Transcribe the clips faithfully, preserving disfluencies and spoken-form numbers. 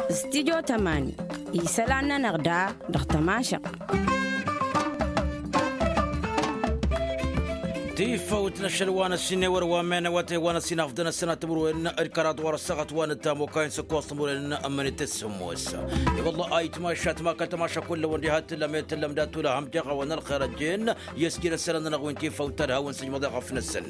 Studio tămani isălan-nănăɣ da dăɣ-tămašăɣt. Tifăwt n-ašăl wa n-ăssinewăr wa menăwăte wa n-ăssinafdăn ăssinat timǝrwen d-kăraḍ wa n-ăssaɣăt wa n-ăttam okayăn s-ăkkoẓ timǝrwen. Ămmănet s-sǝmmos. I-wălla ayǝtmašat ma kăl-tămaša kullăwăn diha t-tǝllăm i-tǝllăm dat-tulăhăm deɣ a-wen ălxer ăjjeen. I-ăsjin ăssălăn-nănăɣ wi n-tifăwt ta d-hawăn-sǝjmăḍ i-ɣăf-năsăn.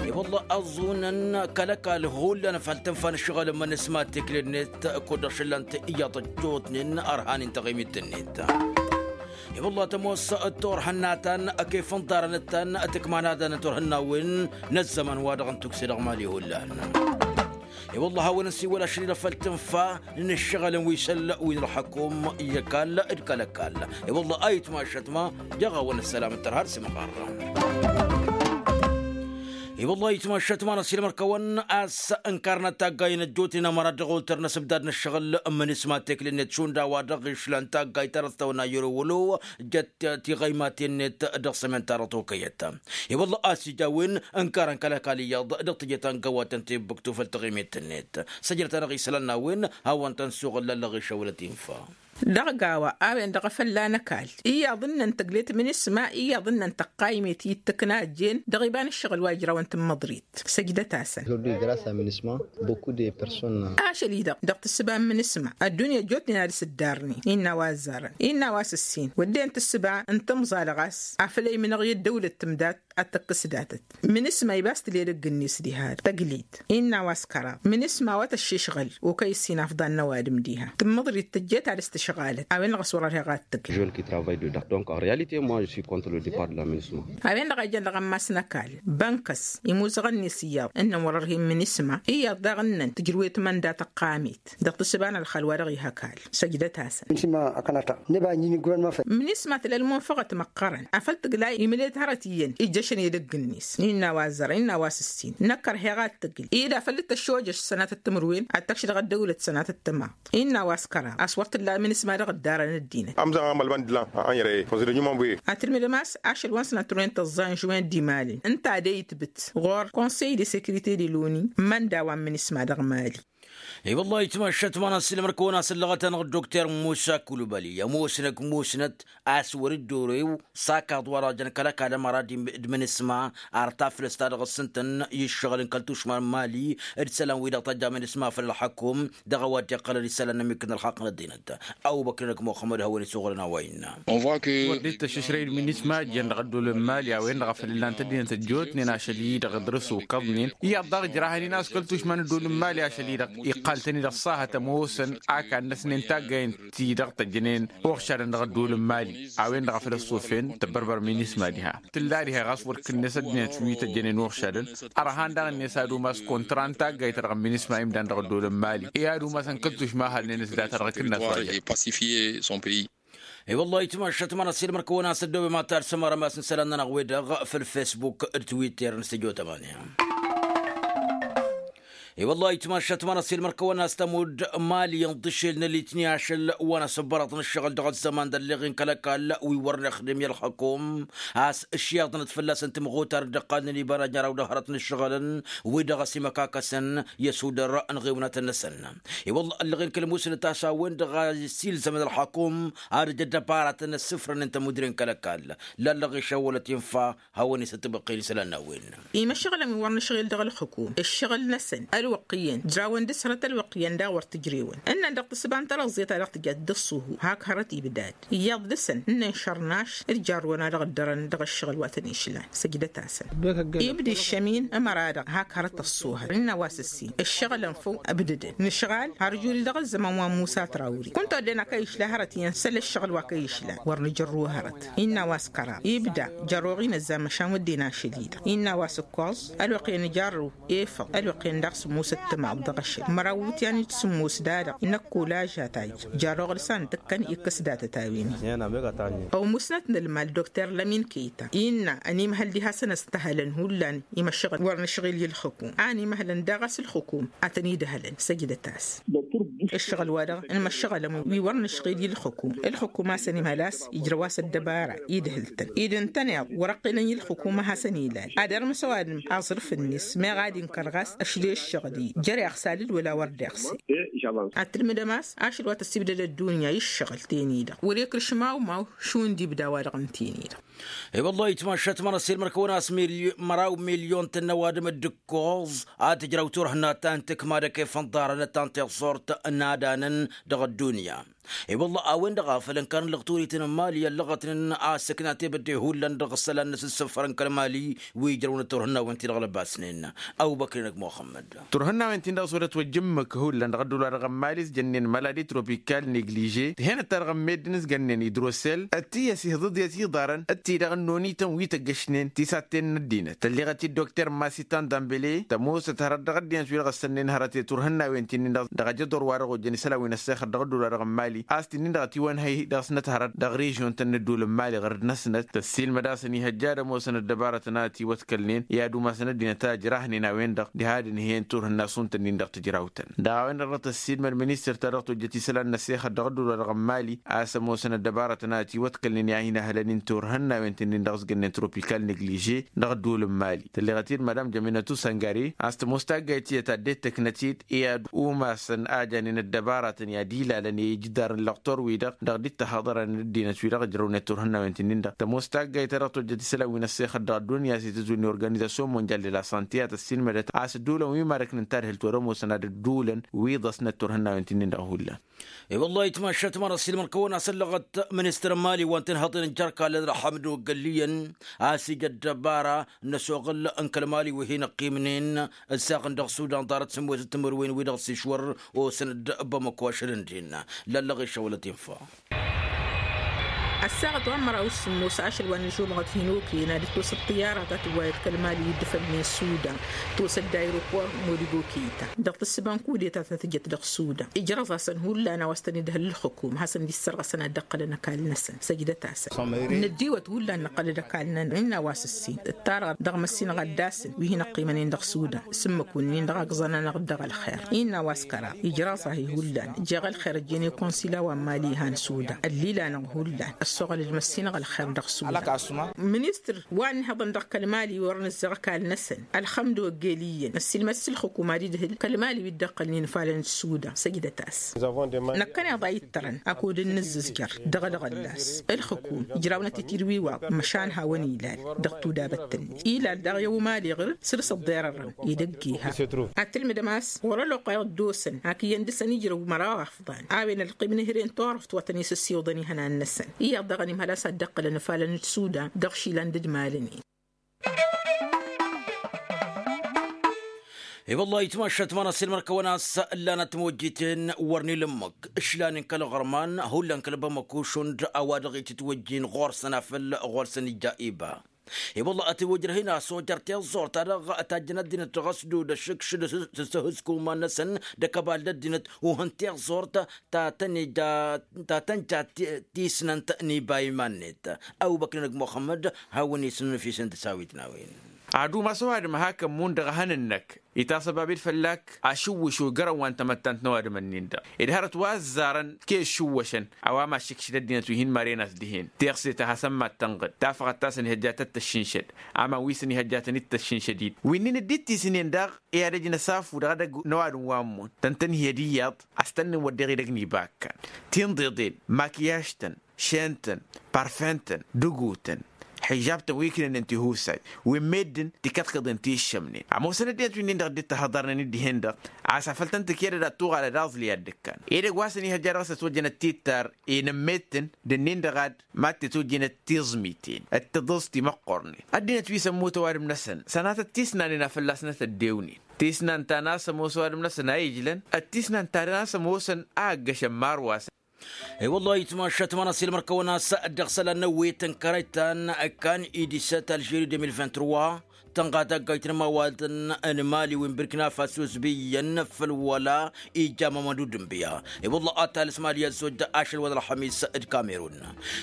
I-wălla ăẓunăn kăl-ăkall hullan făll-tǝnfa n-ǝššăɣǝl n-imǝnǝsma tikle-net kud-dăɣ šǝllan-t iyyăḍ ăjjootnen ărhan-in taɣimit-net. I-wălla tămoos d-turhǝnna ta n-kef n-iḍarăn ta n-tikmanadăn turhǝnna-wen n-ăzzăman wa dăɣ-n tukse dăɣ-mali hullan. I-wălla hawăn-nǝsiwăl ašăl-i-dăɣ făll-tǝnfa n-ǝššăɣǝlăn wi s-ăll wi n-ălxăkum i-ăkall d-kăl-ăkall. I-wălla ayǝtmašăt ma deɣ a-wen ăssălam n-tărha d-sǝmɣarra. I-wălla ayǝtmašăt ma n-ăsilmăr-kăwăn a-s ǝnkarnăt taggay n-ăjjootnen ămăra dăɣ-oltăr n-asǝbdad n-ǝššăɣǝl n-imǝnǝsma tekle-net šund a-wa dăɣ-išlan taggay ta dăɣ-s tăwănna yăr-ewălo. Jăt tiɣăymaten-net dăɣ-sămen-ta-dăɣ tokăyăt. I-wălla a-s ija a-wen ǝnkarăn kăl-ăkall iyyăḍ dăɣ-teje ta n-găwatăn ti ǝbbǝktu făll-taɣimet-net. Săjdăt-anăɣ isălan n-a-wen hawăn-tăn suɣǝl lăllăɣ išăwlăt infa. Dăɣ-gawa a-wen-dăɣ a fălla n-ăkall iyyăḍ ǝnnăn tăglet imǝnǝsma iyyăḍ ǝnnăn tăqqaymet i-dd-tǝkna ăjjeen dăɣ-iba n-ǝššăɣǝl wa ijrawăn tǝmmăḍrit. Săjdăt-asăn. Ašăl-i-dăɣ dăɣ-tǝssǝba n-imǝnǝsma ăddunya ăjjootnen ad-ăsǝddarnen innă a-wa ăzzarăn innă a-wa s-ǝssin wădden tǝssǝba n-tǝmẓalăɣ a-s afăl ăymǝnăɣ i-ăddăwlăt tǝmdat ad-tăkkǝs datăt. Mǝnǝsma iba a-s tǝl edăgg-net diha tăglit innă a-wa s-kăraḍ mǝnǝsma a-wa tăššešɣăl okăy ǝssin afḍan n-ăwadǝm diha tǝmmǝḍrit tǝjjet ad-ăstǝšɣalăt a-wen-dăɣ a-s wăr-ărheɣ ad-tǝgl. Jeune qui travaille dedans donc en réalité moi je suis contre le depart de la mǝnǝsma. A-wen-dăɣ a jăn dăɣ-ammas n-ăkall bănkăs imuzăɣăn-net iyyăḍ ǝnnăn wăr-ărhen mǝnǝsma iyyăḍ daɣ ǝnnăn tǝjrǝwet mănda tăqqamet dăɣ-tǝssǝba n-ălxal wa dăɣ-iha ăkall. Săjdăt-asăn. Mǝnǝsma tǝla ălmunfăɣăt măqqărăn afăl tǝgla imǝlet hărăt iyyăn ijjăšăn edăgg-net innă a-wa ăzzărăn innă a-wa s-ǝssin năkk ărheɣ ad-tǝgl ila făll-dd-tăššojăš sănatăt timǝrwen ad-tăkš dăɣ-ăddăwlăt sănatăt tǝmaḍt. Innă a-wa s-kăraḍ a-s wăr t-illa mǝnǝsma dăɣ-ǝddarăn ăddinăt. Ămzăɣ amălman d-lan ănrăy făẓrăjumăn buyet. Ad-tǝlmǝdăm a-s ašăl wa n-sănat turwen tăẓẓa n-žuwen d-imalăn ǝnta a de-itbǝt ɣur-konsăy de sekirite de loni. Mănda wa n-mǝnǝsma dăɣ-mali. I-wăllah itmašat ma n-asǝlmăr-kăwăn-asăllăɣăt-anăɣ dokter musa kulubali ămoosnăk musnăt a-s wăr-dd-orew s-akaḍ wa dăɣ-jăn kăl-ăkall ămăra d-imǝnǝsma ar taflăst ta dăɣ-s ǝntăn i-ǝššăɣǝl n-kăl-tušma n-mali d-isălan-wi-dăɣ tăjja imǝnǝsma făll-ălxăkum dăɣ-a-wa dd-iqqălăn isălan n-ămmikkăn ălxaqq n-ăddinăt. Ăbubăkr-năk muxămmăd hawăn-isuɣǝlăn a-wa innă. Wăr dd-tăššǝšrăy d-imǝnǝsma ăjjeen dăɣ-ăddol n-mali a-wen-dăɣ a făl ǝllan-t ăddinăt ăjjootnen ašăl-i-dăɣ ǝḍrǝs ukăḍnen iyyăḍ daɣ ǝjrahăn-in a-s kăl-tušma n-ăddol n-mali ašăl-i-dăɣ iqqal-tăn-i dăɣ-sahăt ămoosăn akad-năsnen taggayăn ti-dăɣ tăjjănen uɣšadăn dăɣ-ăddol n-mali. A-wen-dăɣ a făl ăṣṣufen tăbbărbăr minisma diha tǝlla diha ɣas wăr kǝnnes ăddinăt wi tăjjănen uɣšadăn. Ărhan daɣ-net ad-umas kontra n-taggayt-ta-dăɣ n-minisma imdan dăɣ-ăddol n-mali i-ad-umasăn kăl-tušma halnen-s data-dăɣ kǝnnas wa jăn. I-wăllah itmašat ma n-asilmăr-kăwăn-asăddobem ad-tarsăm arămas n-isălan-nănăɣ-wi-dăɣ făll-fesbuk d-twitter n-săjo tămani. I-wăllah itmašat ma n-asilmăr-kăwăn-as tămudd mali n-iḍǝšel n-alitni ašăl wa n-asǝbbărăḍ n-ǝššăɣǝl dăɣ-ăzzăman d-ălleɣ-in kăl-ăkall wi wăr nǝxdǝm i-ălxăkum a-s ǝšyaḍnăt fălla-săn tǝmɣutar dd-ăqqalnen iba n-ajnăraw dăɣ-hărăt n-ǝššăɣǝlăn wi-dăɣ a-s imăkakăsăn i-ăsudăr n-iɣiwnatăn-năsăn. I-wălla ăllăɣen kăl-musnăt a-s a-wen-dăɣ a isilzăm d-ălxăkum ad-ăj ăddăbaratăn ăssǝfrănen tămudren kăl-ăkall. Lallăɣ išăwwălăt infa hawăn-isăttăbăqqel isălan n-a-wen. Imăšɣǝlăn wi wăr nǝšɣel dăɣ-ălxǝkum ǝššăɣǝl-năsăn ălwăqq iyyăn jrawăn dăɣ-s hărăt ălwăqq iyyăn daɣ wăr tǝjrewăn ǝnnăn dăɣ-tǝssǝba n-tărăẓẓet a dăɣ-tǝjat d-ǝṣṣuhu hak hărăt ibdad. Iyyăḍ dăɣ-săn ǝnnăn šărnaš d-jarrăwăn a dăɣ-ăddărăn dăɣ-ǝššăɣǝl wa tăn-išlan. Săjdăt-asăn. Ibda iššămin ămăra-dăɣ hak hărăt ăṣṣuhăt ǝnn'-a-wa s-ǝssin ǝššăɣǝlăn făw ǝbdǝdăn nǝšɣal har juli dăɣ-ăzzăman wa n-musa trawri kunta wădden a kăy-išla hărăt iyyăn săl ǝššăɣǝl wa kăy-išlan wăr nǝjărrǝw hărăt. Innă a-wa s-kăraḍ ibda jărroɣ-in ăzzan măšan wădden ašăl-i-dăɣ innă a-wa s-ǝkkoẓ ălwăqq iyyăn ijarrǝw efăḍ ălwăqq iyyăn daɣ s-ǝmut. Musăt tămaḍ dăɣ-ašăl măraw wǝtyan-dd sǝmmos da-dăɣ inăkk olaža ta ija jarroɣ d-săn tǝkkăn ikkăs datăt a-wen-i. Ăwmusnăt n-ălmal dokter lămin kăyta innă ănimhăl diha săn ăstăhălăn hullan imăššăɣǝl wăr nǝšɣil i-ǝlxǝkum a ănimhălăn daɣ a-s ǝlxǝkum a tăn-idhălăn săjdăt-as. Ǝššăɣǝl-wa-dăɣ n-imăššăɣălăn wi wăr nǝšɣil i-ǝlxǝkum ǝlxǝkum a-s ănimhăl a-s ijrăw-as ăddăbara idhǝl-tăn ed ǝntăneḍ wăr-ăqqilăn i-ǝlxǝkum a hasăn-ilal ad-irmǝs ăwadǝm aẓrǝf-net meɣ ad-inkăr ɣas ăšle ǝššăɣǝl-i jer-iɣsa alǝl wăla wăr d-iɣse. Ad-tǝlmǝdăm a-s ašăl wa tăssibdăd ăddunya i-ǝššăɣǝl-ten-i-dăɣ wăr-ikrǝš mawmaw šund ibda-wa-dăɣ ǝnten-i-dăɣ. I-wăllah itmašat măra s-ilmăr-kăwăn a-s măraw milyon-tăn n-ăwadǝm d-ǝkkoẓ ad-tǝjrăw turhǝnna ta n-tǝkma d-ekefăn ḍarăn ta n-tiẓẓurt n-adanăn dăɣ-ăddunya. I-wăllah a-wen-dăɣ a făl ǝnkanăn lăɣturităn n-mali ăllăɣătnen a-s ǝkna tebădde hullan dăɣ-isălan n-asǝssǝfărăn kăl-mali wi ǝjrăwnăt turhǝnnawen-ti-dăɣ lăbasnen. Ăbubăkr-inăk muxămmăd. Turhǝnnawen-tin-dăɣ s-wăr-ătwăjjǝmmǝk hullan dăɣ-ăddular dăɣ-ămmali s-jănnen maladi tropikal negliže tihănăt-ta-dăɣ n-meddǝn s-gănnen idrosel d-tiyyăs ihǝḍǝḍ i-tiḍarăn d-ti-dăɣ ănnoni-tăn wi tăggăšnen tisatten n-ăddinăt tălleɣăt-dd dokter masitan dambele tămoosăt hărăt dăɣ-ăddinăt wi-dăɣ ăssănnen hărăt i-turhǝnnawen-ti-nin-dăɣ dăɣ-ajăḍor wa-dăɣ ojăn isălan wi n-ăssexăt dăɣ-ăddular dăɣ-ămmali a-s ti-nin-dăɣ ătiwănhăy dăɣ-snăt hărăt dăɣ-režion-tăn n-ădduul n-mali ɣărd-năsnăt tăssiilmăd a-s ănihăjja ad-ămoosăn ăddăbarătăn a ătiwăḍkălnen i-ad-umasăn ăddinăt a ǝjrahnen a-wen-dăɣ diha ad-ǝnhǝyăn turhǝnna šund-tăn-in-dăɣ tǝjrawt-tăn dăɣ-a-wen-dăɣ dăɣ-tăssiilmăd ministăr-ta-dăɣ tojjăt isălan n-ăssexăt dăɣ-ădduul wa dăɣ-ămmali a-s ămoosăn ăddăbarătăn a ătiwăḍkălnen i-ad-hin-ăhlănen turhǝnnawen-tăn-in-dăɣ s-gănnen tropikal negliže dăɣ-ădduul n-mali tălleɣăt-dd madam jăminătu săngare a-s tămoos taggayt tiyyăt ad-dd-tăknăt-dd i-ad-umasăn a janen ăddăbaratăn i-ad-ilalăn i-ijǝdar n-lăqtor-wi-dăɣ dăɣ-dd-tahăḍărăn ăddinăt-wi-dăɣ ǝjrăwnăt turhǝnnawen-tăn-in-dăɣ tămoos taggayt ta dăɣ-tojjăt isălan wi n-ăssexăt dăɣ-ăddunya s-itǝzwǝl n-organizasyon monjal de la sante a tăssiilmădăt a-s ădduulăn wi marăknăn tadhǝlt wăr-ămoosăn ad-ădduulăn wi ḍăsnăt turhǝnnawen-tăn-in-dăɣ hullan. I-wăllah itmašat măra s-ilmăr-kăwăn a-s ăllăɣăt ministăr n-mali wa n-tăn-haḍen n-jer-kallăn ărḥăm d-ogălliyăn a-s ija ăddăbara n-ăsoɣǝl n-kăl-mali wi hin-ăqqimnen ǝssaɣăn dăɣ-sudan ḍarăt sǝmmosăt timǝrwen wi-dăɣ s-išwăr osăn-dd bamăko ašăl ǝndin. Lallăɣ išăwălăt infa. Ăssaɣăt wa n-măraw s-sǝmmos ašăl wa n-ăžumăɣăt hin-okăyăn ad-dd-tosăt ṭiyyara ta tǝwwayăt kăl-mali wi dd-ăfănnen sudan tosăt d-aeropor modigo kăyta dăɣ-tǝssǝba n-kudeta ta tǝjăt dăɣ-sudan ijrăẓ-asăn hullan a-wa s-tăn-idhăl ǝlxǝkum hasăn-dd-issărɣăsăn ad-dd-ăqqǝlăn ăkall-năsăn săjdăt-asăn. Năddiwăt hullan năqqăl-dd ăkall-nănăɣ innă a-wa s-ǝssin ǝttarăɣ dăɣ-măssinăɣ ad-dd-asǝn wi hin-ăqqimănen dăɣ-sudan s-ǝmmǝk-wǝnnin-dăɣ a ǝẓẓăn-anăɣ-dd dăɣ-ălxer innă a-wa s-kăraḍ ijraẓ-ahi hullan jeɣ ălxer ăjjeen i-konsila wa n-mali ihan sudan ăllil-anăɣ hullan ăssoɣăl-dd măssinăɣ ălxer dăɣ-sudan. Ministăr wa n-ihăḍăn dăɣ-kăl-mali wăr nǝzzăɣ ăkall-năsăn ălxămd ogel iyyăn ăssiilmăd s-ǝlxǝkum ad-idhǝl kăl-mali wi dd-ăqqălnen ifalăn d-sudan săjdăt-as. Năkkăneḍ a ittărăn akud n-inǝzzǝzjăr dăɣ-ălɣăllas ǝlxǝkum ǝjrawnăt-t-dd wi-wa măšan hawăn-ilal dăɣ-tudabăt-net ilal daɣ i-umali ɣǝr săr-s ăḍḍerărăn edăgg iha. Ad-tǝlmǝdăm a-s ɣur-ălwăqq wa iḍḍosăn ak iyyăn dăɣ-săn ijrăw măraw afḍan a-wen ălqim n-ehre n-turăft wa tăn-isǝssiwǝḍăn ihănan-năsăn iyyăḍ daɣ ănimhăl a-s ad-dd-ăqqǝlăn ifalăn d-sudan dăɣ-išilan d-ădmalăn-in. I-wăllah itmašat măra s-ilmăr-kăwăn a-s ǝllanăt timojjiten wăr n-ilǝmmǝk ǝšlanen kăl-iɣărman hullan kăl-bamăko šund a-wa dăɣ-itǝtwăjjen ɣur-săn afăl ɣur-săn ija iba. I-wăllah ătiwǝjrăh-in a-s ojăr tiẓẓurt-ta-dăɣ tajjăn ăddinăt dăɣ-ăsdud ăššǝkšǝd s-ǝhǝzk uman-năsăn d-ăkăbal d-ăddinăt uhǝn tiẓẓurt ta tăn-ija ta tăn-ja tisnant n-iba iman-net. Ăbubăkr-inăk muxămmăd hawăn-isǝnnǝfisăn tăsawit n-a-wen. Ad-umas ăwadǝm a hakăn immun dăɣ-ehăn-năk itasăbab-dd fălla-k ašǝwwǝš ojărăn wa n-tamăttant n-ăwadǝm-ǝnnin-dăɣ ed hărăt wa ăzzarăn kez šǝwwăšăn. A-wa mašǝkšǝd ăddinăt wi hin-maren a-s dihen teɣse ta hasăn-mad-tănɣǝd tafăɣăt ta s-ănihăjja tăt-tăššǝnšăd aman wi s-ănihăjja tăn-dd-tăššǝnšăd-dd wi-nin dd-ittisǝnen daɣ i-ad-ăj n-asafu dăɣ-edăgg n-ăwadǝm wa n-immǝn tăn-tăn-hi-ădiyyăḍ a-s tăn-nǝnwăddeɣ edăgg n-ibakkan. Tinḍeḍen makiyaž-tăn šen-tăn parfen-tăn dăgutăn xižab-tăn wi ǝknănen tihusay wi n-meddǝn tikăḍkăḍen ti ǝššămnen ămoosăn ăddinăt wi-nin-dăɣ dd-tahăḍarnen dd-ihen-dăɣ a-s afăl tăn-tǝked ad-tuɣal ad-aẓli ad-dd-ǝkkan edăgg wa s-ănihăjja dăɣ-s ătwăjjăn ăttitar i-inǝmmet-tăn d-ǝnnin-dăɣ ad-mad-tetwǝjjǝn ătiẓmiten d-tiḍǝẓti măqqornen ăddinăt wi s-ămmut ăwadǝm-năsăn sănatăt tisnanen a fălla-s nătăddewnen tisnant ta n-a-s ămoos ăwadǝm-năsăn a ijlăn d-tisnant ta n-a-s ămoosăn a ăggăšăn marwasăn. I-wăllah itmašat măra s-ilmăr-kăwăn a-s dăɣ-isălan n-ewwet n-kărăy ta n-kan idisăt alžeri deux mille vingt-trois. Tănɣa taggayt n-imawatăn n-mali wi n-birkina faso s-bi iyyăn făll-wăla ija mămădu d-ǝnbǝya. I-wălla ad-talǝs mali i-ad-sojja ašăl wa n-ălxămis d-kamerun.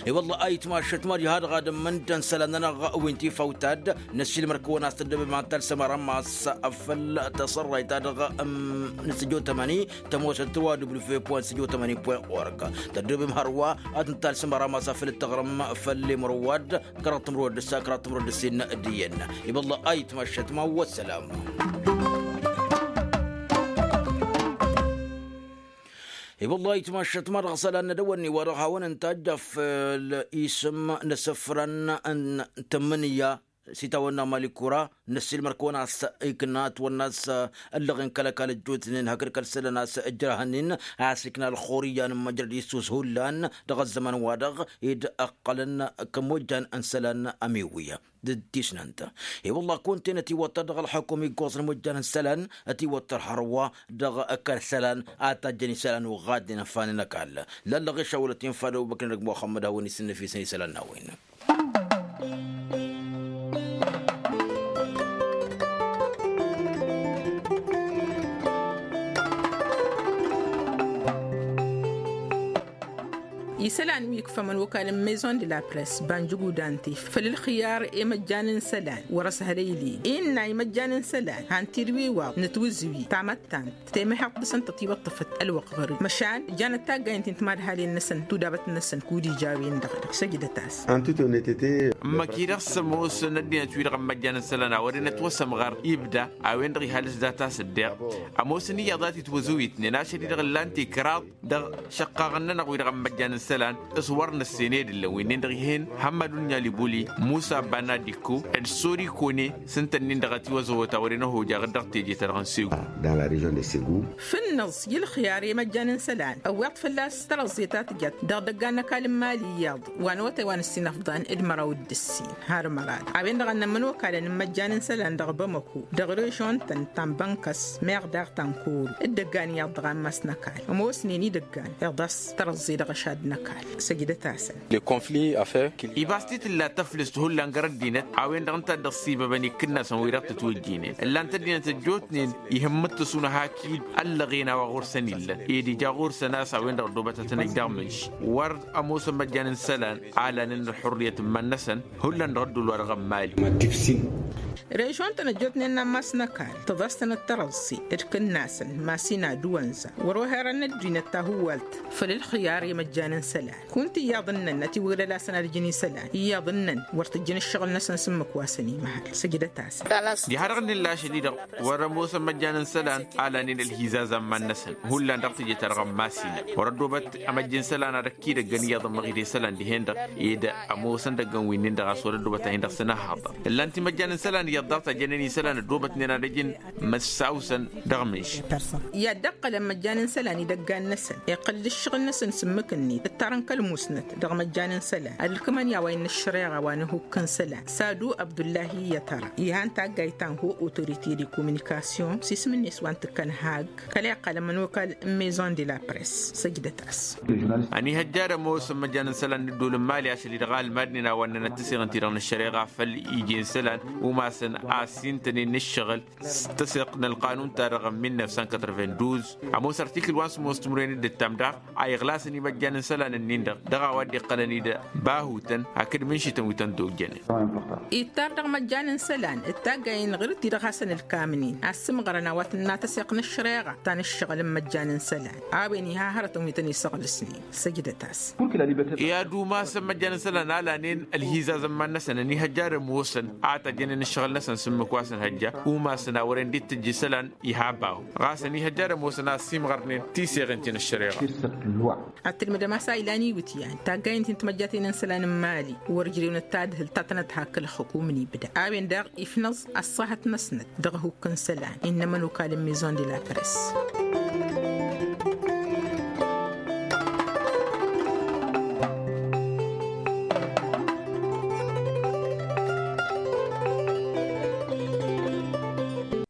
I-wălla a itmašăt mali ha-dăɣ ad-ǝmmǝndăn isălan-nănăɣ wi n-tifawt-ta-dd. Năssiilmăr-kăwăn a-s tăddobem ad-talsăm arămas făll-tasărrayt-ta-dăɣ n-săjo tămăni tămoosăt tăwa w point săjo tămăni point org. Tăddobem hărwa ad-nǝtalsăm arămas afăl d-taɣrǝm făll-imrǝwad kăraḍ timrǝwăd d-ǝssa kăraḍ timrǝwăd d-ǝssin d-iyyăn. I-wălla a itmašăt ma wa ăssălam. I-wălla a itmašăt ma dăɣ-isălan n-ad-ăwănni wa dăɣ-hawăn-ǝnta ajjaf l-isǝm n-asǝfran n-tămmǝnǝya s-itawănna mali kura. Năssiilmăr-kăwăn a-s ikǝnna ătwănna a-s ăllăɣen kăl-ăkall ăjjootnen hakd kăl-isălan a-s ǝjrahăn-in a-s ikna ălxur iyyăn n-măjrăd issus hullan dăɣ-ăzzăman-wa-dăɣ ed ǝqqălăn kămojjan n-isălan ămiwǝyya d-tisnant. I-wălla kunta-en ătiwăttăr dăɣ-ălxukum iggoẓ n-imojjan n-isălan ătiwăttăr hărwa dăɣ-kăl-isălan a tajjăn isălan uɣadnen ănfanen ăkall. Lallăɣ išawălăt infa d-ăbubăkr n-ăgg muxămmăd hawăn-isǝnnăfisăn isălan n-a-wen. Isălan wi ikfămăn okal n-maison de la press banjug udante făll-ălxiyar i-măjjan n-isălan wăr-ăshălăyli innă i-măjjan n-isălan han-t-dd-wi-waḍ nǝtwǝzǝwi tamăttant temăheḍt dăɣ-săn tătiwăṭṭăfăt ălwăqq ɣăr-wi măšan jănăt taggayen ti n-timadhalin-năsăn tudabăt-năsăn kud ija a-wen-dăɣ-dăɣ săjdăt-as. N-măki-dăɣ s-ămoosăn ăddinăt-wi-dăɣ n-măjjan n-isălan a wărăn ătwăsămɣăr ibda a-wen-dăɣ ihal s-dat-as ǝddeɣ ămoosăn iyyăḍ a t-itwăzǝwitnen ašăl-i-dăɣ ǝllan-t ikraḍ dăɣ-išăqqaɣăn-nănăɣ wi-dăɣ n-măjjan n-isălan s-wăr năssened ǝllăn wi-nin-dăɣ ih'-en hămmăd unǝnyal ibuli musa banadikko d-sori kone s-ǝnta-nin-dăɣ ătiwăzăwăt a wărăn ăhojăɣ-dd dăɣ-teje-ta-dăɣ n-segu. Dăɣ-la režion de segu. Fǝnnăẓ i-ălxiyar i-măjjan n-isălan ăwweḍ fălla-s tărăẓẓe ta tǝjăt dăɣ-idăggan n-ăkall n-mali iyyăḍ wa n-awătay wa n-ǝssin ăfḍan d-măraw d-ǝssin har mărad a-wen-dăɣ a ǝnnămmăn okalăn n-măjjan n-isălan dăɣ-bamăko dăɣ-režion-tăn ta n-bănkăs meɣ daɣ ta n-koro d-idăggan iyyăḍ dăɣ-ammas n-ăkall ămoosnen idăggan iḍas tărăẓẓe dăɣ-ašad n-ăkall. Săjdăt-asăn. Ibas ti tǝlla tăflǝst hullan găr-ăddinăt a-wen-dăɣ ǝnta a dd-ăṣṣibăbăn ikǝnnasăn wi-dăɣ tǝtwǝjjinen ǝllan-t ăddinăt ăjjootnen ihǝmmǝttăs unăhak-dd ăllăɣen a-wa ɣur-săn illăn ed ija ɣur-săn a-s a-wen-dăɣ ăddoobăt ad-tăn-ăj dăɣ-mǝnš wăr ămoosăn măjjan n-isălan a lanen ălxurriyăt n-iman-năsăn. Hullan dăɣ-ădduul-wa-dăɣ n-mali. Režion-tăn ăjjootnen n-ammas n-ăkall tǝḍas-tănăt tărăẓẓe d-ikǝnnasăn masina d-uwănza wăr-oherăn ăddinăt tahuwalt făll-ălxiyar i-măjjan n-isălan kunta iyyăḍ ǝnnăn ătiwǝglăl-asăn ad-ǝjǝn isălan iyyăḍ ǝnnăn wăr t-ǝjjǝn ǝššăɣǝl-năsăn s-ǝmmǝk wa săn imăhăl. Săjdăt-asăn. Diha-dăɣ ǝnnǝlla ašăl-i-dăɣ wăr-ămoosăn măjjan n-isălan a lanen ălhizaz a n-iman-năsăn hullan dăɣ-teje-ta-dăɣ n-masina wăr-ăddoobăt ămăjj n-isălan ad-ăkk idăggăn iyyăḍ ămmăɣ-dd isălan dihen-dăɣ ed ămoosăn idăggăn wi-nin-dăɣ a-s wăr-ăddoobăt a hin-dăɣ săn ăhhaḍăr ǝllan-t imăjjan n-isălan iyyăḍ daɣ tajjănen isălan ăddoobătnen ad-ăjǝn măssawsăn dăɣ-mǝnš. I-ad-dd-ăqqălăn măjjan n-isălan idăggan-năsăn iqqăl-dd ǝššăɣǝl-năsăn s-ǝmmǝk-net ǝttarăn kăl-musnăt dăɣ-măjjan n-isălan ad-ǝlkǝmăn i-a-wa innă ăššăreɣa wa n-ihukk n-isălan sadu abdullahi i-iyyăt ara. Ihan taggayt ta n-ho autorite de communication s-isǝm-net wa n-tǝkkăn hagg kăla iqqălăn mănokal n-maison de la press. Săjdăt-as. Ănihăjja ad-ămoosăn măjjan n-isălan n-ǝddol n-mali ašăl-i-dăɣ a ǝlmadnen a-wa ǝnnănăt tǝseɣǝn-ti-dăɣ n-ăššăreɣa făll-iji n-isălan umasăn a-s intănen n-ǝššăɣǝl s-tăseɣt n-ălqanun-ta-dăɣ n-mil năf san kătrăvenduz. Ămoos ărtikǝl wa n-sămoos timǝrwen d-ǝttam daɣ a iɣlasăn imăjjan n-isălan-nin-dăɣ dăɣ-a-wa dd-iqqălăn-dd bahutăn hakd mǝnšităn wi tăn-dd-ojjănen. Ittar dăɣ-măjjan n-isălan d-taggayen ɣǝr-ti-dăɣ hasăn-ǝlkamnen a ǝssǝmɣărăn a-wa tǝnna tăseɣt n-ăššăreɣa ta n-ǝššăɣǝl n-imăjjan n-isălan a-wen iha hărătăn wi tăn-isăɣlǝsnen. Săjdăt-as. I-ad-umasăn măjjan n-isălan a lanen ălhizaz n-iman-năsăn ănihăjja ad-ămoosăn a tăjjănen ǝššăɣǝl-năsăn s-ǝmmǝk wa săn hăjja umasăn a wăren dd-tǝjj isălan iha bahu ɣas ănihăjja ad-ămoosăn a ăssiimɣărnen tiseɣen ti n-ăššăreɣa. Ad-tǝlmǝdăm a-s a ilan iwǝtyan taggayen ti n-timăjjaten n-isălan n-mali wăr ǝjrewăn d-tadhǝlt ta tănăt hakk ǝlxǝkum n-ibda a-wen-dăɣ ifnăẓ ăṣṣahăt-năsnăt dăɣ-ehukk n-isălan innă ămănokal n-maison de la press.